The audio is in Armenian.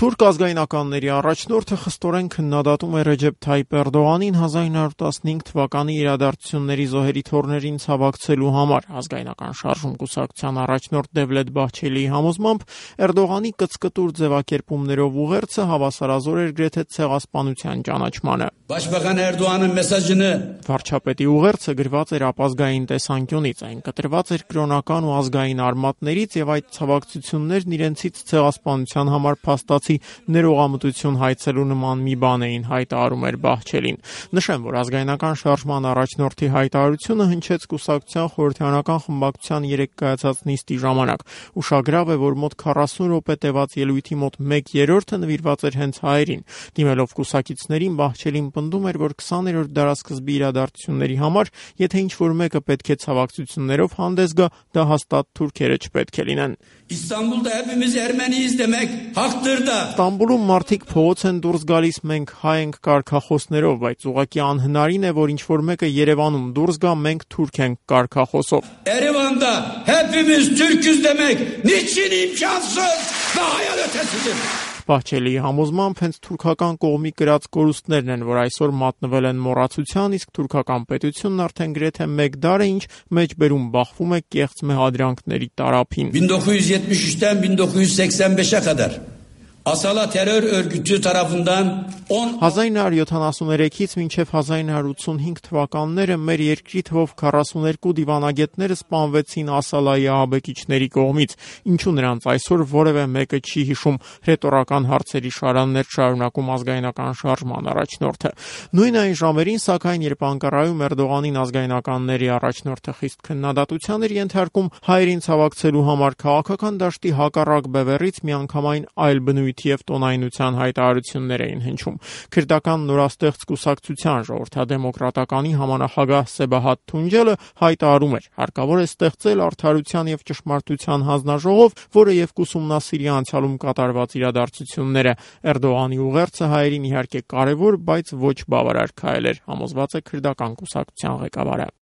Թուրք ազգայնականների առաջնորդը խստորեն քննադատում է Ռեջեփ Թայիփ Էրդողանին 1915 թվականի իրադարձությունների զոհերի թոռներին ցավակցելու համար։ Ազգայնական շարժում կուսակցության առաջնորդ Դևլետ Բահչելիի համոզմամբ Էրդողանի կծկտուր ձևակերպումներով ուղերձը հավասարազոր էր գրեթե ցեղասպանության ճանաչմանը։ Պաշտպան Էրդողանի մեսաժը վարչապետի ուղերձը գրված էր ապազգային տեսանկյունից, այն կտրված էր կրոնական ու ազգային արմատներից եւ այդ ցավակցություններն իրենցից ցեղասպանության համար փաստացի ներողամտություն հայցելու նման մի բան էին, հայտարարում էր Բահչելին։ Նշեմ, որ ազգայնական շարժման առաջնորդի հայտարարությունը հնչեց կուսակցության խորհրդարանական խմբակցության 3 կայացած նիստի ժամանակ։ Ուշագրավ է, որ մոտ 40 րոպե տևած ելույթի մոտ 1/3-ը նվիրված էր հենց հայերին։ Դիմելով կուսակիցներին, Բահչելին պնդում էր, որ 20-րդ դարասկզբի իրադարձությունների համար, եթե ինչ-որ մեկը պետք է ցավակցություններով հանդես գա, դա հաստատ թուրքերը չպետք է լինեն։ İstanbul'da hepimiz Ermeniyiz demek haktır da. Ստամբուլում մարդիկ փողոց են դուրս գալիս մենք հայ ենք կարգախոսներով, բայց ուղղակի անհնարին է, որ ինչ-որ մեկը Երևանում դուրս գա մենք թուրք ենք կարգախոսով։ Erevanda hepimiz Türküz demek niçin imkansız ve hayal ötesidir. Բահչելիի համոզմամբ հենց թուրքական կողմի կրած կորուստներն են, որ այսօր մատնվել են մոռացության, իսկ թուրքական պետությունն արդեն գրեթե 1 դար է ինչ մեջբերում բախվում է կեղծ մեղադրանքների տարափին։ 1973'ten 1985'e kadar Asala terör örgütü tarafından 1973-ից մինչև 1985 թվականները մեր երկրի թվով 42 դիվանագետները սպանվեցին Ասալայի ահաբեկիչների կողմից, ինչու նրանց այսօր որևէ մեկը չի հիշում, ռետորական հարցերի շարաններ շարունակում ազգայնական շարժման առաջնորդը։ Նույն այն ժամերին, սակայն, երբ Անկարայում Էրդողանին ազգայնականների առաջնորդը խիստ քննադատության էր ենթարկում հայերին ցավակցելու համար, քաղաքական դաշտի հակառակ բևեռից միանգամայն այլ բնույթի եւ տոնայնության հայտարարություններ էին հնչում։ Քրդական նորաստեղծ կուսակցության ժողովրդադեմոկրատականի համանախագահ Սեբահատ Թունջելը հայտարարում էր. հարկավոր է ստեղծել արդարության եւ ճշմարտության հանձնաժողով, որը եւ կուսումնասիրի անցյալում կատարված իրադարձությունները։ Էրդողանի ուղերձը հայերին իհարկե կարևոր, բայց ոչ բավարար քայլ էր, համոզված է քրդական կուսակցության ղեկավարը։